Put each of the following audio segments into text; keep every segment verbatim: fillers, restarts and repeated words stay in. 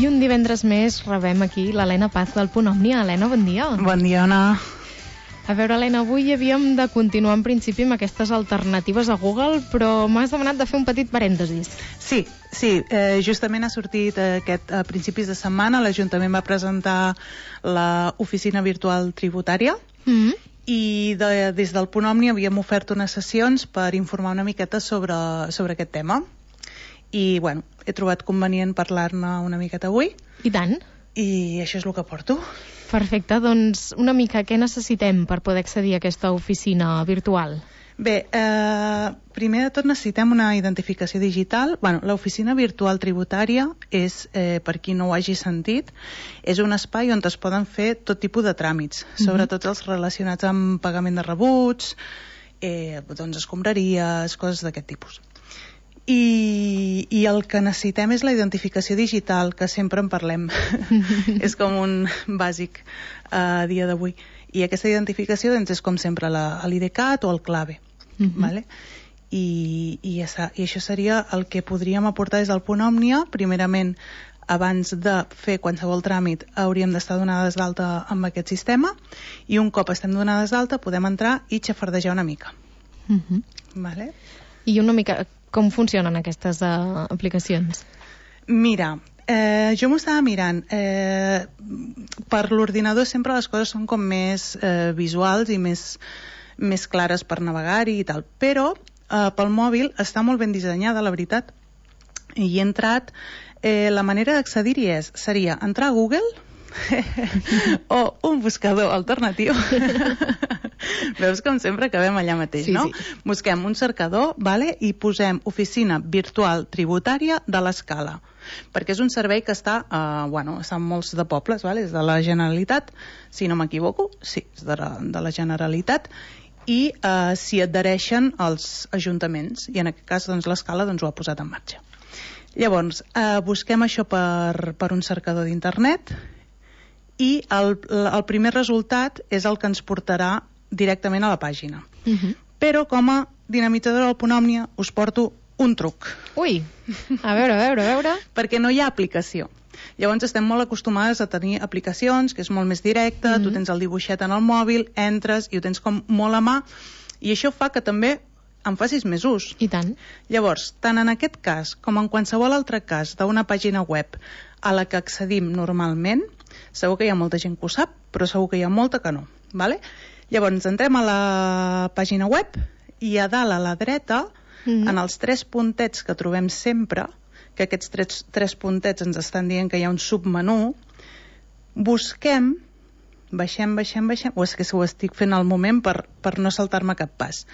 I un divendres més rebem aquí l'Helena Paz del Punt Òmnia. Helena, bon dia. Bon dia, Anna. A veure, Helena, avui havíem de continuar en principi amb aquestes alternatives a Google, però m'has demanat de fer un petit parèntesis. Sí, sí, eh, justament ha sortit aquest, a principis de setmana, l'Ajuntament va presentar l'oficina virtual tributària, mm-hmm. i de, des del Punt Òmnia havíem ofert unes sessions per informar una miqueta sobre, sobre aquest tema. I, bueno, he trobat convenient parlar-ne una miqueta avui. I tant. I això és el que porto. Perfecte, doncs una mica què necessitem per poder accedir a aquesta oficina virtual? Bé, eh, primer de tot necessitem una identificació digital. Bueno, l'oficina virtual tributària és, eh, per qui no ho hagi sentit, és un espai on es poden fer tot tipus de tràmits, mm-hmm. sobretot els relacionats amb pagament de rebuts, eh, doncs escombraries, coses d'aquest tipus. I, i el que necessitem és la identificació digital, que sempre en parlem. És com un bàsic a uh, dia d'avui. I aquesta identificació doncs, és com sempre l'I D CAT o el clave. Mm-hmm. Vale? I, i, esa, I això seria el que podríem aportar des del Punt Òmnia. Primerament, abans de fer qualsevol tràmit, hauríem d'estar donades d'alta amb aquest sistema, i un cop estem donades d'alta podem entrar i xafardejar una mica. Mm-hmm. Vale? I una mica... Com funcionen aquestes uh, aplicacions? Mira, eh, jo m'ho estava mirant. Eh, per l'ordinador sempre les coses són com més eh, visuals i més, més clares per navegar-hi i tal. Però eh, pel mòbil està molt ben dissenyada, la veritat. I he entrat... Eh, la manera d'accedir-hi és, seria entrar a Google o un buscador alternatiu. Veus com sempre acabem allà mateix, sí, no? Sí. Busquem un cercador, vale? I posem oficina virtual tributària de l'Escala, perquè és un servei que està, eh, bueno, està en molts de pobles, vale? És de la Generalitat, si no m'equivoco, sí, és de la, de la Generalitat, i eh, s'hi adhereixen els ajuntaments, i en aquest cas doncs, l'Escala doncs, ho ha posat en marxa. Llavors, eh, busquem això per, per un cercador d'internet, i el, el primer resultat és el que ens portarà directament a la pàgina. Uh-huh. Però com a dinamitzadora del Punt Òmnia us porto un truc. Ui, a veure, a veure, a veure. Perquè no hi ha aplicació. Llavors estem molt acostumades a tenir aplicacions, que és molt més directe, uh-huh. tu tens el dibuixet en el mòbil, entres i ho tens com molt a mà, i això fa que també en facis més ús. I tant. Llavors, tant en aquest cas com en qualsevol altre cas d'una pàgina web a la que accedim normalment, segur que hi ha molta gent que ho sap, però segur que hi ha molta que no. Vale? Llavors, entrem a la pàgina web i a dalt a la dreta, mm-hmm. en els tres puntets que trobem sempre, que aquests tres, tres puntets ens estan dient que hi ha un submenú, busquem, baixem, baixem, baixem, o és que ho estic fent al moment per, per no saltar-me cap pas,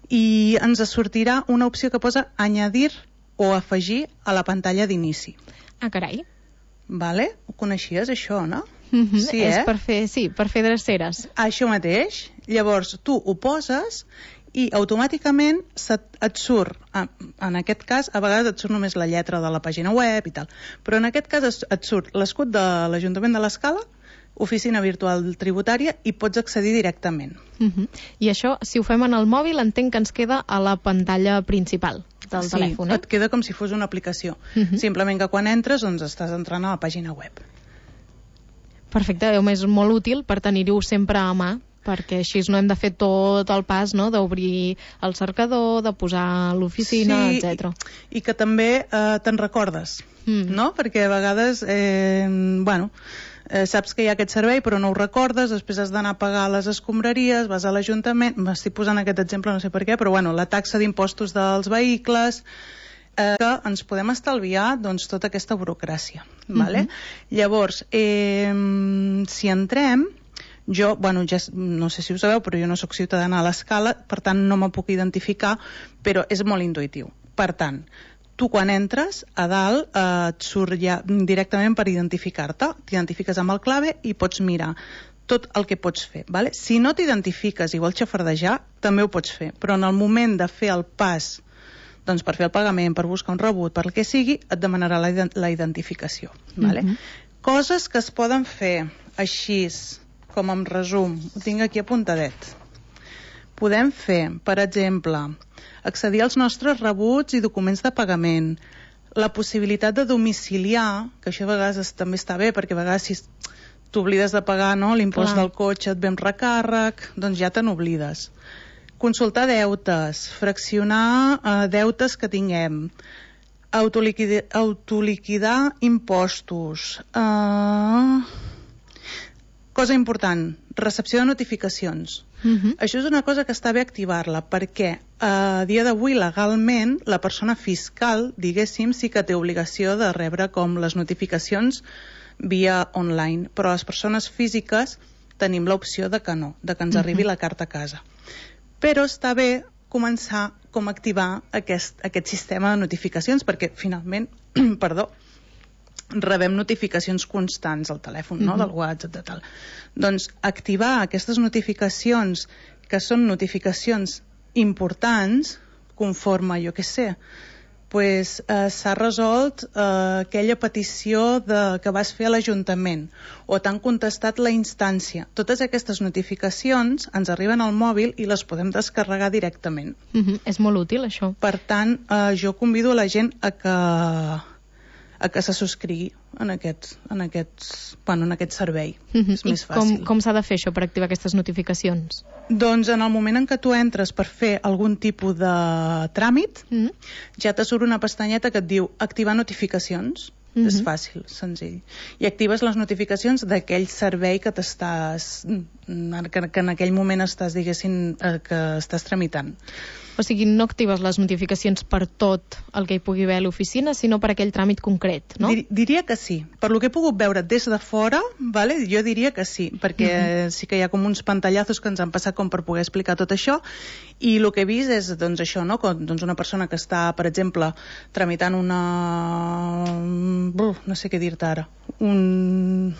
i ens sortirà una opció que posa añadir o afegir a la pantalla d'inici. Ah, carai. Vale? Ho coneixies, això, no? Mm-hmm. Sí, és eh? per fer, sí, per fer dreceres. Això mateix. Llavors, tu ho poses i automàticament et, et surt, en aquest cas, a vegades et surt només la lletra de la pàgina web i tal, però en aquest cas et surt l'escut de l'Ajuntament de l'Escala, oficina virtual tributària, i pots accedir directament. Mm-hmm. I això, si ho fem en el mòbil, entenc que ens queda a la pantalla principal del sí, telèfon, eh? Et queda com si fos una aplicació. Mm-hmm. Simplement que quan entres, doncs estàs entrant a la pàgina web. Perfecte, és molt útil per tenir-ho sempre a mà, perquè així no hem de fer tot el pas, no?, d'obrir el cercador, de posar l'oficina, sí, etcètera. I, i que també eh, te'n recordes, mm. no? Perquè a vegades, eh, bueno, eh, saps que hi ha aquest servei però no ho recordes, després has d'anar a pagar les escombraries, vas a l'Ajuntament, m'estic posant aquest exemple, no sé per què, però bueno, la taxa d'impostos dels vehicles, eh, que ens podem estalviar doncs tota aquesta burocràcia, mm-hmm. vale? Llavors, eh, si entrem, jo, bueno, ja no sé si ho sabeu, però jo no sóc ciutadana a l'Escala, per tant no me puc identificar, però és molt intuïtiu. Per tant, tu quan entres, a dalt eh, et surt ja directament per identificar-te, t'identifiques amb el clave i pots mirar tot el que pots fer. Vale? Si no t'identifiques i vols xafardejar, també ho pots fer, però en el moment de fer el pas, doncs per fer el pagament, per buscar un rebut, per el que sigui, et demanarà la, la identificació. Vale? Mm-hmm. Coses que es poden fer així, com en resum, ho tinc aquí apuntadet. Podem fer, per exemple, accedir als nostres rebuts i documents de pagament, la possibilitat de domiciliar, que això a vegades també està bé, perquè a vegades si t'oblides de pagar, no, l'impost del cotxe, et ve amb recàrrec, doncs ja te n'oblides. Consultar deutes, fraccionar eh, deutes que tinguem, autoliquidar, autoliquidar impostos. Uh... Cosa important, recepció de notificacions. Uh-huh. Això és una cosa que està bé activar-la, perquè a dia d'avui legalment la persona fiscal, diguéssim, sí que té obligació de rebre com les notificacions via online, però les persones físiques tenim l'opció de que no, de que ens arribi uh-huh. la carta a casa. Però està bé començar com activar aquest, aquest sistema de notificacions, perquè finalment, perdó, rebem notificacions constants al telèfon, no? Uh-huh. Del WhatsApp, de tal. Doncs activar aquestes notificacions, que són notificacions importants, conforme, jo què sé, pues, eh, s'ha resolt eh, aquella petició de, que vas fer a l'Ajuntament, o t'han contestat la instància. Totes aquestes notificacions ens arriben al mòbil i les podem descarregar directament. Uh-huh. És molt útil, això. Per tant, eh, jo convido a la gent a que a que se subscrigui en aquest, en aquest, bueno, en aquest servei. Uh-huh. És més fàcil. I com, com s'ha de fer això per activar aquestes notificacions? Doncs en el moment en què tu entres per fer algun tipus de tràmit, uh-huh. ja te surt una pestanyeta que et diu activar notificacions. Uh-huh. És fàcil, senzill. I actives les notificacions d'aquell servei que t'estàs, que, que en aquell moment estàs, diguéssim, que estàs tramitant. O sigui, no actives les notificacions per tot el que hi pugui haver a l'oficina, sinó per aquell tràmit concret, no? Dir, diria que sí. Per lo que he pogut veure des de fora, vale? Jo diria que sí, perquè uh-huh. sí que hi ha com uns pantallazos que ens han passat com per poder explicar tot això, i el que he vist és doncs, això, no? Com, doncs una persona que està, per exemple, tramitant una... Uf, no sé què dir-te ara. Un...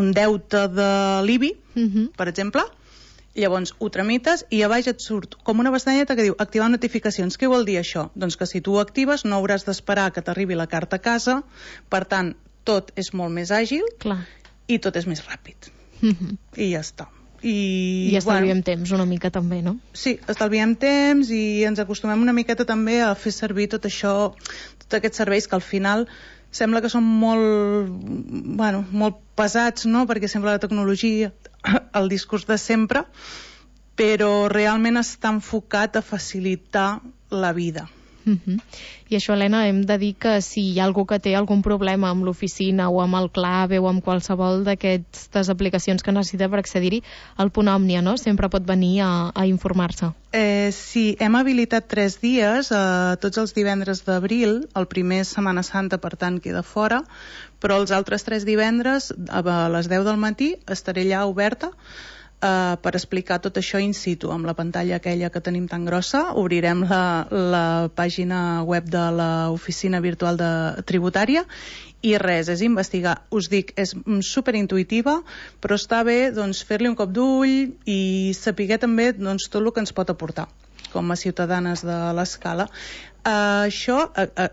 un deute de l'I B I, uh-huh. per exemple. Llavors ho tramites i a baix et surt com una pestanyeta que diu activar notificacions. Què vol dir això? Doncs que si tu ho actives no hauràs d'esperar que t'arribi la carta a casa, per tant tot és molt més àgil. Clar. I tot és més ràpid. Mm-hmm. I ja està. I, I estalviem bueno, temps una mica també, no? Sí, estalviem temps i ens acostumem una miqueta també a fer servir tot això, tots aquests serveis que al final sembla que són molt, bueno, molt pesats, no? Perquè sembla la tecnologia, el discurs de sempre, però realment està enfocat a facilitar la vida. Uh-huh. I això, Helena, hem de dir que si hi ha algú que té algun problema amb l'oficina o amb el clave o amb qualsevol d'aquestes aplicacions que necessita per accedir-hi, el Punt Òmnia, no? Sempre pot venir a, a informar-se. Eh, sí, hem habilitat tres dies, eh, tots els divendres d'abril, el primer Setmana Santa, per tant, queda fora, però els altres tres divendres, a les deu del matí, estaré allà oberta, Uh, per explicar tot això in situ, amb la pantalla aquella que tenim tan grossa. Obrirem la, la pàgina web de l'oficina virtual de tributària i res, és investigar. Us dic, és superintuitiva, però està bé doncs, fer-li un cop d'ull i saber també doncs, tot el que ens pot aportar com a ciutadanes de l'Escala. Uh, això uh, uh,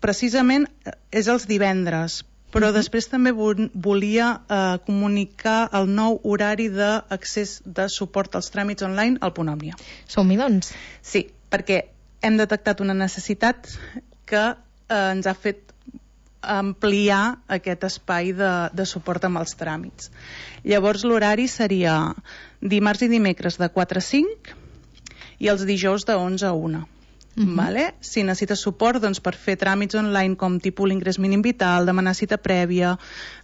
precisament és els divendres, però uh-huh. després també volia eh, comunicar el nou horari d'accés de suport als tràmits online al Punt Òmnia. Som-hi, doncs? Sí, perquè hem detectat una necessitat que eh, ens ha fet ampliar aquest espai de, de suport amb els tràmits. Llavors l'horari seria dimarts i dimecres de quatre a cinc i els dijous de onze a una. Uh-huh. Vale? Si necessites suport doncs, per fer tràmits online com tipus l'ingrés mínim vital, demanar cita prèvia,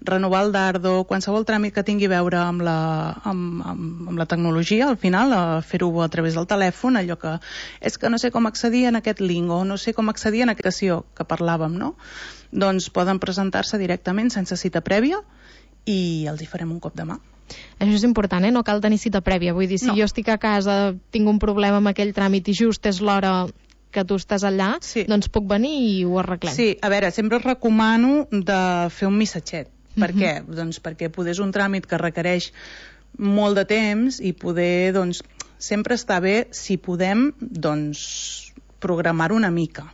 renovar el dardo, qualsevol tràmit que tingui a veure amb la, amb, amb, amb la tecnologia, al final, a fer-ho a través del telèfon, allò que és que no sé com accedir en aquest link o no sé com accedir en aquesta aplicació que parlàvem, no? Doncs poden presentar-se directament sense cita prèvia i els hi farem un cop de mà. Això és important, eh? No cal tenir cita prèvia. Vull dir, si no. jo estic a casa, tinc un problema amb aquell tràmit i just és l'hora que tu estàs allà, sí. doncs puc venir i ho arreglem. Sí, a veure, sempre recomano de fer un missatget. Uh-huh. Per què? Doncs perquè poder és un tràmit que requereix molt de temps i poder, doncs, sempre està bé, si podem, doncs, programar una mica.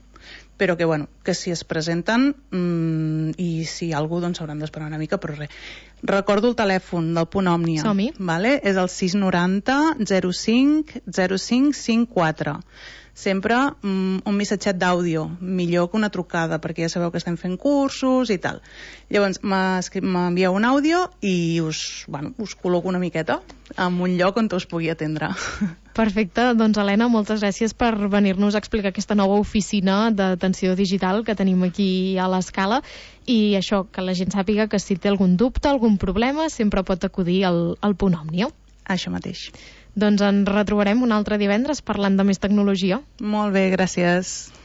Però que, bueno, que si es presenten mmm, i si hi ha algú, doncs hauran d'esperar una mica, però res. Recordo el telèfon del Punt Òmnia. Som-hi. Vale? És el sis noranta zero cinc zero cinc cinc quatre. Sempre mm, un missatget d'àudio, millor que una trucada, perquè ja sabeu que estem fent cursos i tal. Llavors m'envieu un àudio i us, bueno, us col·loco una miqueta en un lloc on us pugui atendre. Perfecte, doncs Helena, moltes gràcies per venir-nos a explicar aquesta nova oficina d'atenció digital que tenim aquí a l'Escala, i això, que la gent sàpiga que si té algun dubte, algun problema, sempre pot acudir al, al Punt Òmnia. Això mateix. Doncs ens retrobarem un altre divendres parlant de més tecnologia. Molt bé, gràcies.